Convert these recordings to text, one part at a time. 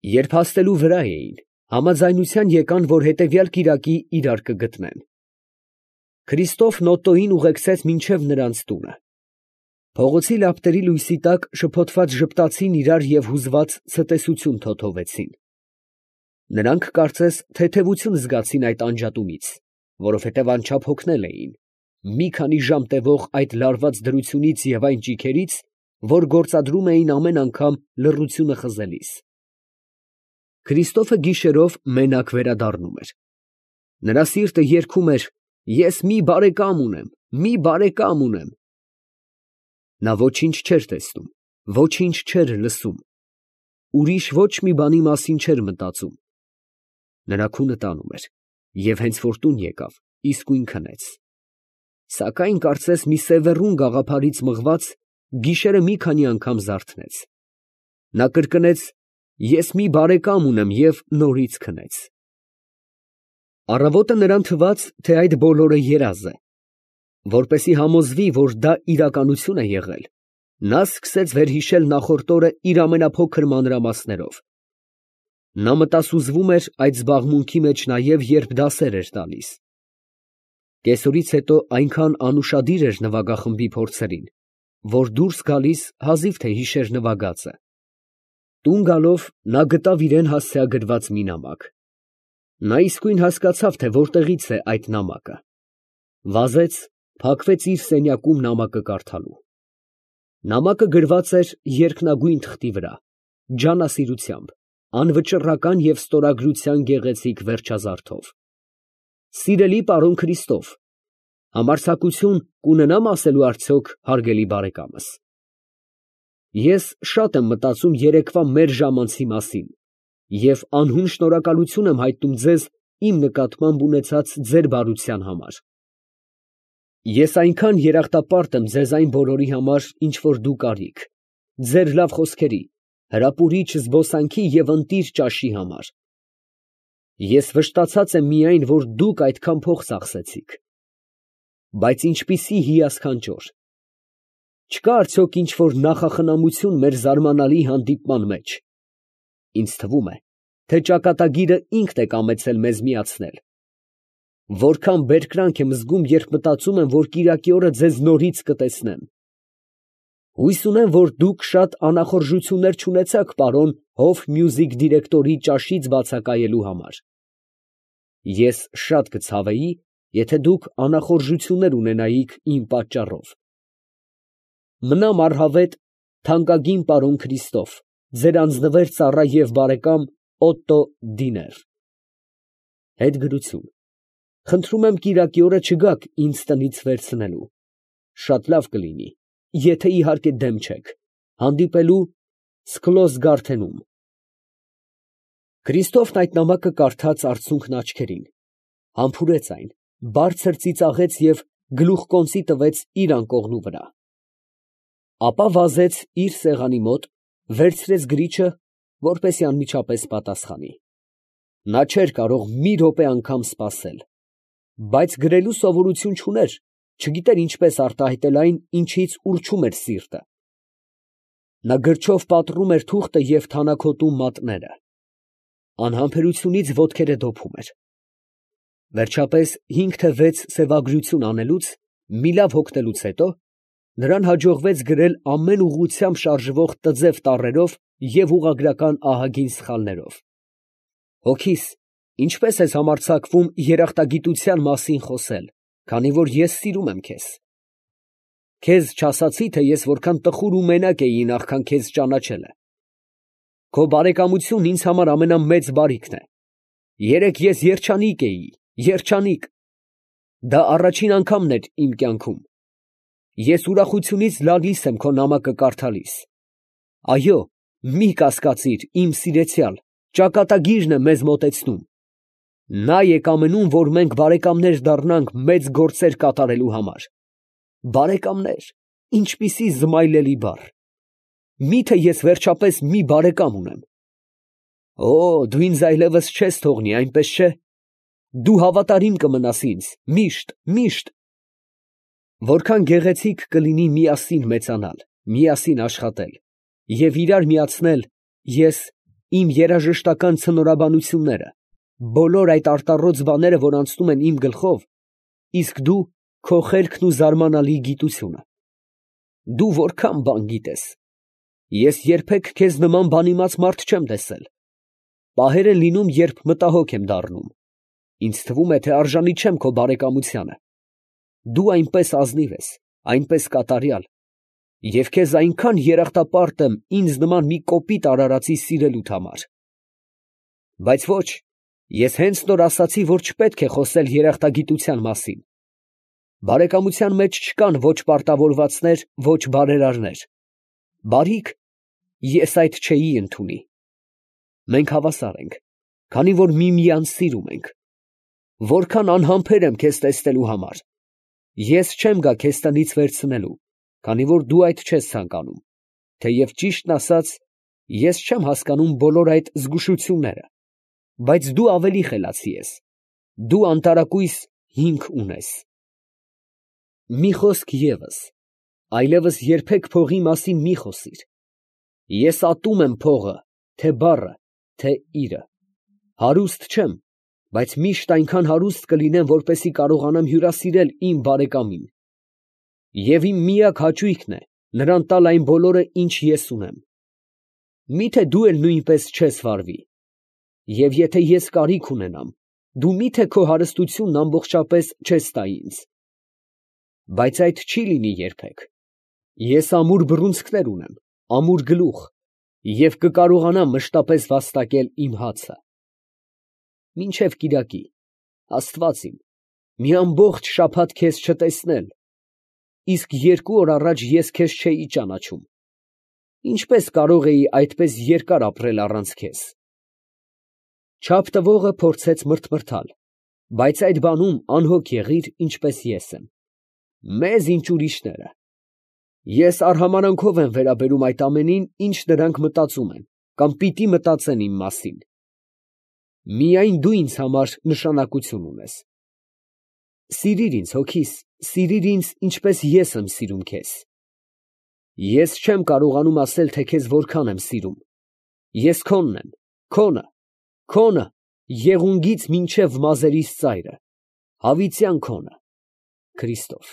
Երբ հասնելու վրա էին, համաձայնության եկան, որ հետևյալ կիրակի իրար կգտնեն։ Քրիստոֆն Օտտոյին ուղեկցեց մինչև նրանց տունը։ Փողոցի լապտերի լույսի տակ շփոթված ժպտացին իրար և հուզված ցտեսություն թոթովեցին։ Նրանք կարծես թեթևություն զգացին այդ անջատումից, որովհետև անչափ հոգնել էին մի քանի ժամ տևող այդ լարված դրությունից և այն ճիգերից, որ գործադրում էին ամեն անգամ լռությունը խզելիս։ Քրիստոֆը գիշերով մենակ վերադառնում էր։ Նրա սիրտը երգում էր. «Ես մի բարեկամ ունեմ, մի բարեկամ ունեմ»։ Նա ոչինչ չէր տեսնում, ոչինչ չէր լսում, ուրիշ ոչ մի բանի մասին չէր մտածում։ Նրա քունը տանում էր, և հենց որ տուն եկավ, իսկույն քնեց։ Սակայն կարծես մի սևեռուն գաղափարից մղված, գիշերը մի քանի անգամ զարթնեց։ Նա կրկնեց. «Ես մի բարեկամ ունեմ» և նորից քնեց։ Առավոտը նրան թվաց, թե այդ բոլորը երազ է։ Որպեսզի համոզվի, որ դա իրականություն է եղել, նա սկսեց վերհիշել նախորդ օրը իր ամենափոքր մանրամասներով։ Նա մտասուզվում էր այդ զբաղմունքի մեջ նաև, երբ դասեր էր տալիս։ Կեսօրից հետո այնքան անուշադիր էր նվագախմբի փորձերին, որ դուրս գալիս հազիվ թե հիշեր նվագածը։ Տուն գալով նա գտավ իրան հասցեագրված մի նամակ։ Նա իսկույն հասկացավ, թե որտեղից է այդ նամակը։ Վազեց, փակվեց իր սենյակում նամակը կարդալու։ Նամակը գրված էր երկնագույն թղթի վրա, ջանասիրությամբ, անվճռական և ստորագրության գեղեցիկ վերջազարդով։ Սիրելի պարոն Քրիստոֆ, համարձակություն կունենա՞մ ասելու արդյոք հարգելի բարեկամս։ Ես շատ եմ մտածում երեկվա մեր ժամանցի մասին և անհուն շնորհակալություն եմ հայտնում ձեզ իմ նկատմամբ ունեցած ձեր բարության համար։ Ես այնքան երախտապարտ եմ ձեզ այն բոլորի համար, ինչ որ դուք արիք, ձեր լավ խոսքերի, հրապուրիչ զբոսանքի և ընտիր ճաշի համար։ Ես վշտացած եմ միայն, որ դուք այդքան փող ծախսեցիք։ Բայց ինչպիսի հիասքանչոր։ Չկա՞ արդյոք ինչ֊որ նախախնամություն մեր զարմանալի հանդիպման մեջ։ Ինձ թվում է, թե ճակատագիրը ինքն է կամեցել մեզ միացնել։ Որքան բերկրանք եմ զգում, երբ մտածում եմ, որ կիրակի օրը ձեզ նորից կտեսնեմ։ Հույս ունեմ, որ դուք շատ անախորժություններ չունեցաք պարոն Հոֆմյուզիք դիրեկտորի ճաշից բացակայելու համար։ Ես շատ կցավեի, եթե դուք անախորժություններ ունենայիք իմ պատճառով։ Մնամ առհավետ, թանկագին պարոն Քրիստոֆ, ձեր անձնվեր ծառա և բարեկամ Օտտո Դիներ։ Հետ գրություն։ Խնդրում եմ կիրակի օրը չգաք ինձ տնից վերցնելու։ Շատ լավ կլինի, եթե իհարկե դեմ չեք, հանդիպելու Սքլոզ Գարթենում։ Քրիստոֆն այդ նամակը կարդաց արցունքն աչքերին, համբուրեց այն, բարձր ծիծաղեց և գլուխկոնծի տվեց իր անկողնու վրա։ Ապա վազեց իր սեղանի մոտ, վերցրեց գրիչը, որպեսզի անմիջապես պատասխանի։ Նա չէր կարող մի րոպե անգամ սպասել, բայց գրելու սովորություն չուներ, չգիտեր ինչպես արտահայտել այն, ինչից ուռչում էր սիրտը։ Նա գրչով պատռում էր թուղթը և թանաքոտում մատները։ Անհամբերությունից ոտքերը դոփում էր։ Վերջապես 5 թե 6 սևագրություն անելուց, մի լավ հոգնելուց հետո, նրան հաջողվեց գրել ամեն ուղղությամբ շարժվող տձև տառերով և ուղղագրական ահագին սխալներով։ Հոգիս, ինչպե՞ս ես համարձակվում երախտագիտության մասին խոսել, քանի որ ես սիրում եմ քեզ։ Քեզ չասացի, թե ես որքան տխուր ու մենակ էի նախքան քեզ ճանաչելը։ Քո բարեկամությունն ինձ համար ամենամեծ բարիքն է։ Երեկ ես երջանիկ էի, երջանիկ։ Դա առաջին անգամն էր իմ կյանքում։ Ես ուրախությունից լալիս եմ քո նամակը կարդալիս։ Այո, մի կասկածիր, իմ սիրեցյալ, ճակատագիրն է մեզ մոտեցնում։ Նա է կամենում, որ մենք բարեկամներ դառնանք մեծ գործեր կատարելու համար։ Բարեկամներ, ինչպիսի զմայլելի բառ։ Մի՞թե ես վերջապես մի բարեկամ ունեմ։ Օ, դու ինձ այլևս չես թողնի, այնպես չէ։ Դու հավատարիմ կմնաս ինձ, միշտ, միշտ։ Որքան գեղեցիկ կլինի միասին մեծանալ, միասին աշխատել և իրար միացնել ես իմ երաժշտական ցնորաբանությունները, բոլոր այդ արտառոց բաները, որ անցնում են իմ գլխով, իսկ դու քո խելքն ու զարմանալի գիտությունը։ Դու որքան բան գիտես։ Ես երբեք քեզ նման բանիմաց մարդ չեմ տեսել։ Պահեր են լինում, երբ մտահոգ եմ դառնում։ Ինձ թվում է, թե արժանի չեմ քո բարեկամությանը։ Դու այնպես ազնիվ ես, այնպես կատարյալ, և քեզ այնքան երախտապարտ եմ ինձ նման մի կոպիտ արարածի սիրելուդ համար։ Բայց ոչ, ես հենց նոր ասացի, որ չպետք է խոսել երախտագիտության մասին։ Բարեկամության մեջ չկան ոչ պարտավորվածներ, ոչ բարերարներ։ Բարիք ես այդ չէի ընդունի։ Մենք հավասար ենք, քանի որ միմյանց սիրում ենք։ Որքան անհամբեր եմ քեզ տեսնելու համար։ Ես չեմ գա քեզ տնից վերցնելու, քանի որ դու այդ չես ցանկանում, թեև ճիշտն ասած, ես չեմ հասկանում բոլոր այդ զգուշությունները, բայց դու ավելի խելացի ես, դու անտարակույս հիմք ունես։ Մի խոսք ևս, այլևս երբեք փողի մասին մի խոսիր։ Ես ատում եմ փողը, թե բառը, թե իրը։ Հարուստ չեմ, բայց միշտ այնքան հարուստ կլինեմ, որպեսզի կարողանամ հյուրասիրել իմ բարեկամին։ Եվ իմ միակ հաճույքն է նրան տալ այն բոլորը, ինչ ես ունեմ։ Միթե դու էլ նույնպես չես վարվի։ Եվ եթե ես կարիք ունենամ, դու միթե քո հարստությունն ամբողջապես չես տա ինձ։ Բայց այդ չի լինի երբեք։ Ես ամուր բռունցքներ ունեմ, ամուր գլուխ, և կկարողանամ մշտապես վաստակել իմ հացը։ Մինչև կիրակի, Աստված իմ, մի ամբողջ շաբաթ քեզ չտեսնել, իսկ 2 օր առաջ ես քեզ չէի ճանաչում։ Ինչպես կարող էի այդպես երկար ապրել առանց քեզ։ Չափ տվողը փորձեց մրթմրթալ, բայց այդ բանում անհոգ եղիր, ինչպես ես եմ։ Մեզ ինչ ուրիշները։ Ես արհամարանքով եմ վերաբերում այդ ամենին, ինչ նրանք մտածում են, կամ պիտի մտածեն իմ մասին։ Միայն դու ինձ համար նշանակություն ունես։ Սիրիր ինձ, հոգիս, սիրիր ինձ, ինչպես ես եմ սիրում քեզ։ Ես չեմ կարողանում ասել, թե քեզ որքան եմ սիրում։ Ես քոնն եմ, քոնը, քոնը, եղունգից մինչև մազերիս ծայրը, հավիտյան քոնը, Քրիստոֆ։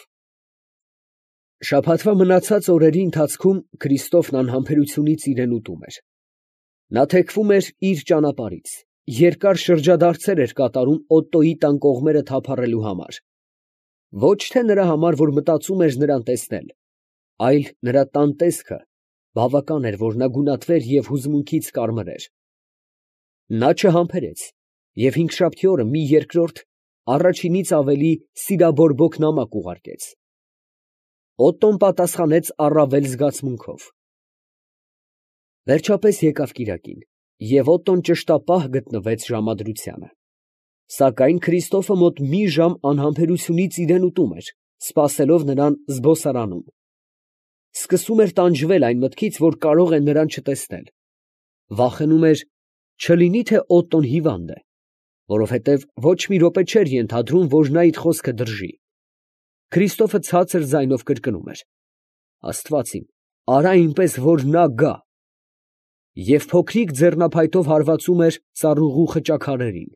Շաբաթվա մնացած օրերի ընթացքում Քրիստոֆն անհամբերությունից իրեն ուտում էր։ Նա թեքվում էր իր ճանապարհից, երկար շրջադարձեր էր կատարում Օտտոյի տան կողմերը թափառելու համար։ Ոչ թե նրա համար, որ մտածում էր նրան տեսնել, այլ նրա տան տեսքը բավական էր, որ նա գունատվեր և հուզմունքից կարմրեր։ Նա չհամբերեց և հինգշաբթի օրը մի երկրորդ, առաջինից ավելի սիրաբորբոք նամակ ուղարկեց։ Օտտոն պատասխանեց առավել զգացմունքով։ Վերջապես եկավ կիրակին, և Օտտոն ճշտապահ գտնվեց ժամադրությանը։ Սակայն Քրիստոֆը մոտ մի ժամ անհամբերությունից իրան ուտում էր, սպասելով նրան զբոսարանում։ Սկսում էր տանջվել այն մտքից, որ կարող է նրան չտեսնել։ Վախենում էր, չլինի թե Օտտոն հիվանդ է, որովհետև ոչ մի րոպե չէր ենթադրում, որ նա իր խոսքը դրժի։ Քրիստոֆը ցածր ձայնով կրկնում էր. «Աստված իմ, արա այնպես, որ նա գա», և փոքրիկ ձեռնափայտով հարվածում էր ծառուղու խճաքարերին։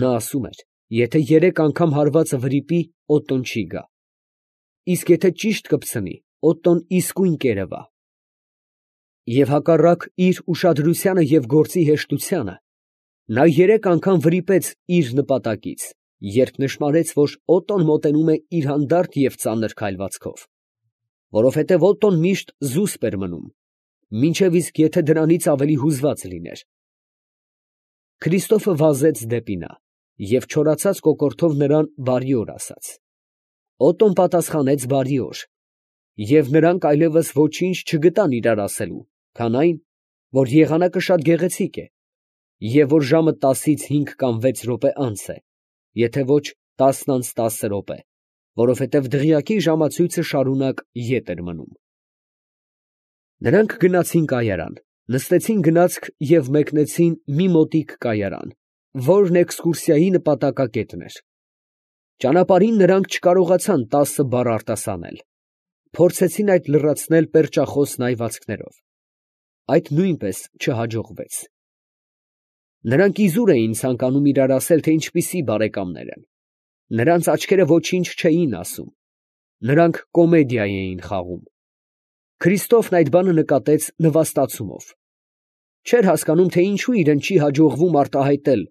Նա ասում էր, եթե 3 անգամ հարվածը վրիպի, Օտտոն չի գա։ Իսկ եթե ճիշտ կպցնի, Օտտոն իսկույն կերևա։ Եվ հակառակ իր ուշադրությանը և գործի հեշտությանը, նա 3 անգամ վրիպեց իր նպատակից, երբ նշմարեց, որ Օտտոն մոտենում է իր հանդարտ և ծանր քայլվածքով, որովհետև Օտտոն միշտ զուսպ էր մնում, մինչև իսկ եթե դրանից ավելի հուզված լիներ։ Քրիստոֆը վազեց դեպի նա և չորացած կոկորդով նրան բարի օր ասաց։ Օտտոն պատասխանեց բարի օր, և նրանք այլևս ոչինչ չգտան իրար ասելու, քան այն, որ եղանակը շատ գեղեցիկ է, և որ ժամը 10-ից 5 կամ 6 րոպե անց է, եթե ոչ 10-10 րոպե, որովհետև դղյակի ժամացույցը շարունակ ետ էր մնում։ Նրանք գնացին կայարան, նստեցին գնացք և մեկնեցին մի մոտիկ կայարան, որն էքսկուրսիայի նպատակակետն էր։ Ճանապարհին նրանք չկարողացան 10 բառ արտասանել, փորձեցին այդ լրացնել պերճախոս նայվածքներով։ այդ նույնպես չհաջողվեց։ Նրանք իզուր էին ցանկանում իրար ասել, թե ինչպիսի բարեկամներ են։ Նրանց աչքերը ոչինչ չէին ասում։ Նրանք կոմեդիա էին խաղում։ Քրիստոֆն այդ բանը նկատեց նվաստացումով։ Չէր հասկանում, թե ինչու իրեն չի հաջողվում արտահայտել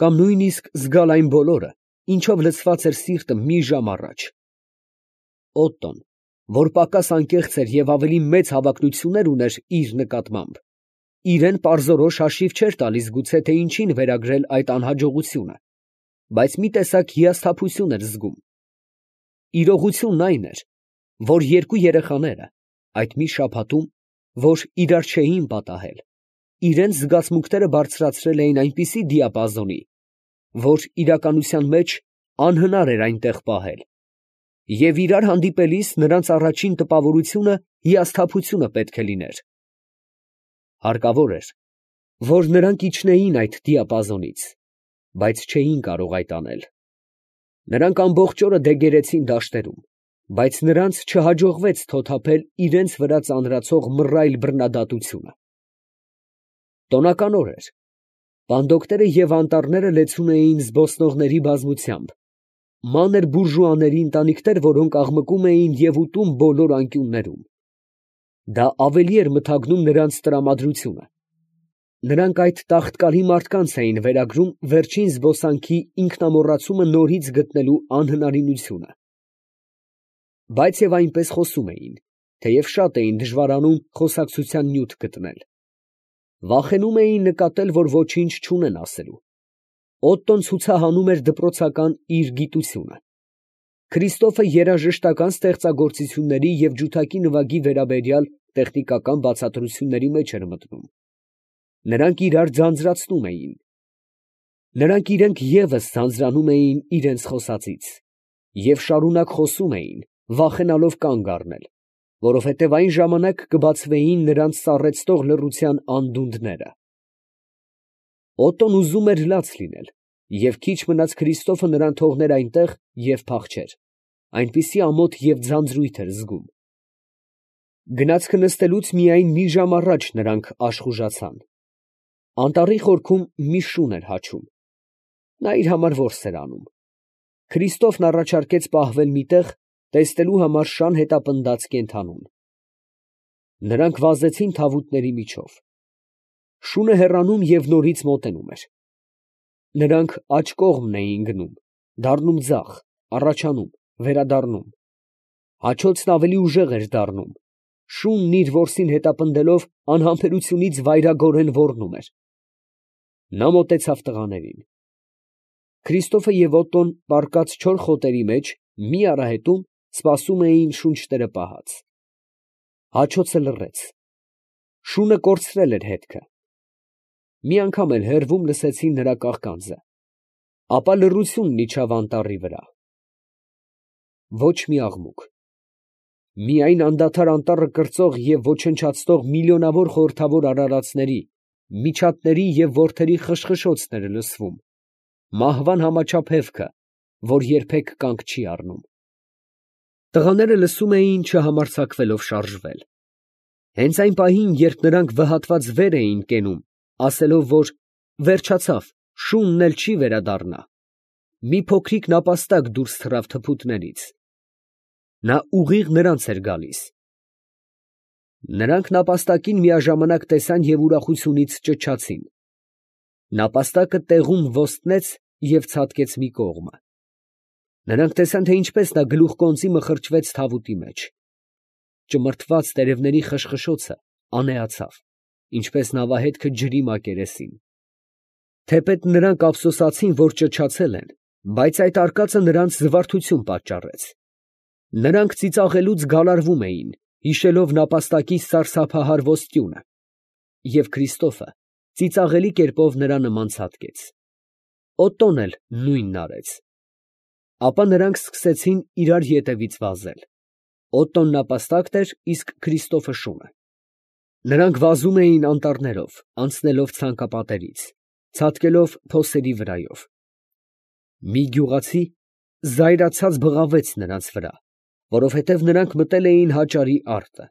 կամ նույնիսկ զգալ այն բոլորը, ինչով լցված էր սիրտը մի ժամ առաջ։ Օտտոն, որ պակաս անկեղծ էր և ավելի մեծ հավակնություններ ուներ իր նկատմամբ, իրեն պարզորոշ հաշիվ չէր տալիս գուցե թե ինչին վերագրել այդ անհաջողությունը, բայց մի տեսակ հիասթափություն էր զգում։ Իրողությունն այն էր, որ երկու երեխաները այդ մի շաբաթում, որ իրար չէին պատահել, իրենց զգացմունքները բարձրացրել էին այնպիսի դիապազոնի, որ իրականության մեջ անհնար էր այնտեղ պահել, և իրար հանդիպելիս նրանց առաջին տպավորությունը հիասթափությունը պետք է լիներ։ Հարկավոր էր, որ նրանք իջնեին այդ դիապազոնից, բայց չէին կարող այդ անել։ Նրանք ամբողջ օրը դեգերեցին դաշտերում, բայց նրանց չհաջողվեց թոթափել իրենց վրա ծանրացող մռայլ բռնադատությունը։ Տոնական օր էր։ Պանդոկները և անտառները լեցուն էին զբոսնողների բազմությամբ, մանր բուրժուաների ընտանիքներ, որոնք աղմկում էին և ուտում բոլոր անկյուններում։ Դա ավելի էր մթագնում նրանց տրամադրությունը։ Նրանք այդ տաղտկալի մարդկանց էին վերագրում վերջին զբոսանքի ինքնամոռացումը նորից գտնելու անհնարինությունը։ Բայց և այնպես խոսում էին, թեև շատ էին դժվարանում խոսակցության նյութ գտնել։ Վախենում էին նկատել, որ ոչինչ չունեն ասելու։ Օտտոն ցուցահանում էր դպրոցական իր գիտությունը։ Քրիստոֆը երաժշտական ստեղծագործությունների և ջութակի նվագի վերաբերյալ տեխնիկական բացատրությունների մեջ էր մտնում։ Նրանք իրար ձանձրացնում էին։ Նրանք իրենք ևս ձանձրանում էին իրենց խոսածից և շարունակ խոսում էին, վախենալով կանգ առնել, որովհետև այն ժամանակ կբացվեին նրանց սառեցնող լռության անդունդները։ Օտտոն ուզում էր լաց լինել, և քիչ մնաց Քրիստոֆը նրան թողներ այնտեղ և փախչեր, այնպիսի ամոթ և ձանձրույթ էր զգում։ Գնացքը նստելուց միայն մի ժամ առաջ նրանք աշխուժացան։ Անտառի խորքում մի շուն էր հաչում։ Նա իր համար որս էր անում։ Քրիստոֆն առաջարկեց պահվել մի տեղ, տեսնելու համար շան հետապնդած կենդանուն։ Նրանք վազեցին թավուտների միջով։ Շունը հեռանում և նորից մոտենում էր։ Նրանք աջ կողմն էին գնում, դառնում ձախ, առաջանում, վերադառնում։ Հաչոցն ավելի ուժեղ էր դառնում։ Շունն իր որսին հետապնդելով անհամբերությունից վայրագորեն ոռնում էր։ Նա մոտեցավ տղաներին։ Քրիստոֆը և Օտտոն պառկած չոր խոտերի մեջ մի արահետում սպասում էին շունչները պահած։ Հաչոցը լռեց։ Շունը կորցրել էր հետքը։ Մի անգամ էլ հեռվում լսեցին նրա կաղկանձը, ապա լռությունն իջավ անտառի վրա։ Ոչ մի աղմուկ։ Միայն անդադար անտառը կրծող և ոչնչացնող միլիոնավոր խորհրդավոր արարածների, միջատների և որդերի խշխշոցն էր լսվում, մահվան համաչափ հևքը, որ երբեք կանգ չի առնում։ Տղաները լսում էին, չհամարձակվելով շարժվել։ Հենց այն պահին, երբ նրանք վհատված վեր էին կենում, ասելով, որ վերջացավ, շունն էլ չի վերադառնա, մի փոքրիկ նապաստակ դուրս թռավ թփուտներից։ Նա ուղիղ նրանց էր գալիս։ Նրանք նապաստակին միաժամանակ տեսան և ուրախությունից ճչացին։ Նապաստակը տեղում ոստնեց և ցատկեց մի կողմը։ Նրանք տեսան, թե ինչպես նա գլուխկոնծի մխրճվեց թավուտի մեջ։ Ճմրթված տերևների խշխշոցը անեացավ, ինչպես նավահետքը ջրի մակերեսին։ Թեպետ նրանք ափսոսացին, որ ճչացել են, բայց այդ արկածը նրանց զվարթություն պատճառեց։ Նրանք ծիծաղելուց գալարվում էին, հիշելով նապաստակի սարսափահար ոսկյունը, և Քրիստոֆը ծիծաղելի կերպով նրա նման ցատկեց։ Օտտոն էլ նույնն արեց։ Ապա նրանք սկսեցին իրար ետևից վազել։ Օտտոն նապաստակն էր, իսկ Քրիստոֆը շունը։ Նրանք վազում էին անտառներով, անցնելով ցանկապատերից, ցատկելով փոսերի վրայով։ Մի գյուղացի զայրացած բղավեց նրանց վրա, որովհետև նրանք մտել էին հաճարի արտը։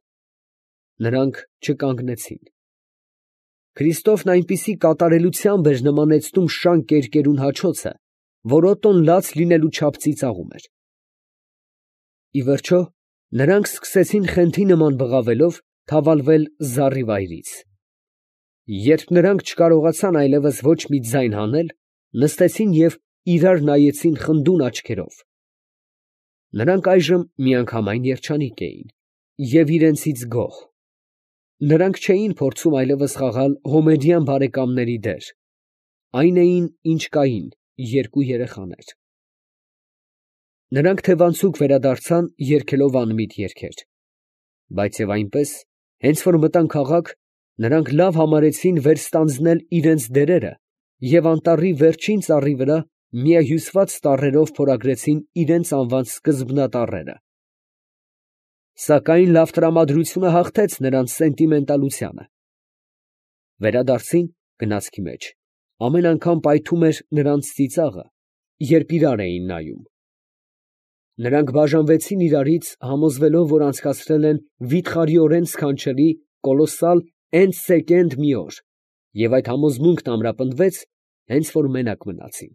Նրանք չկանգնեցին։ Քրիստոֆն այնպիսի կատարելությամբ էր նմանեցնում շան կերկերուն հաչոցը, որ Օտոն լաց լինելու չափ ծիծաղում էր։ Ի վերջո, նրանք սկսեցին խենթի նման բղավելով թավալվել զառիվայրից։ Երբ նրանք չկարողացան այլևս ոչ մի ձայն հանել, նստեցին և իրար նայեցին խնդուն աչքերով։ Նրանք այժմ միանգամայն երջանիկ էին և իրենցից գոհ. նրանք չէին փորձում այլևս խաղալ հոմեդյան բարեկամների դեր, այն էին, ինչ կային երկու երեխաներ։ Նրանք թևանցուկ վերադարձան երգելով անմիտ երգեր, բայց և այնպես, հենց որ մտան քաղաք, նրանք լավ համարեցին վերստանձնել իրենց դերերը և անտառի վերջին ծառի վրա միահյուսված տառերով փորագրեցին իրենց անվան սկզբնատառերը։ Սակայն լավ տրամադրությունը հաղթեց նրանց սենտիմենտալությանը։ Վերադարձին գնացքի մեջ ամեն անգամ պայթում էր նրանց ծիծաղը, երբ իրար էին նայում։ Նրանք բաժանվեցին իրարից, համոզվելով, որ անցկացրել են վիթխարիորեն սքանչելի, կոլոսալ մի օր, և այդ համոզմունքն ամրապնդվեց, հենց որ մենակ մնացին։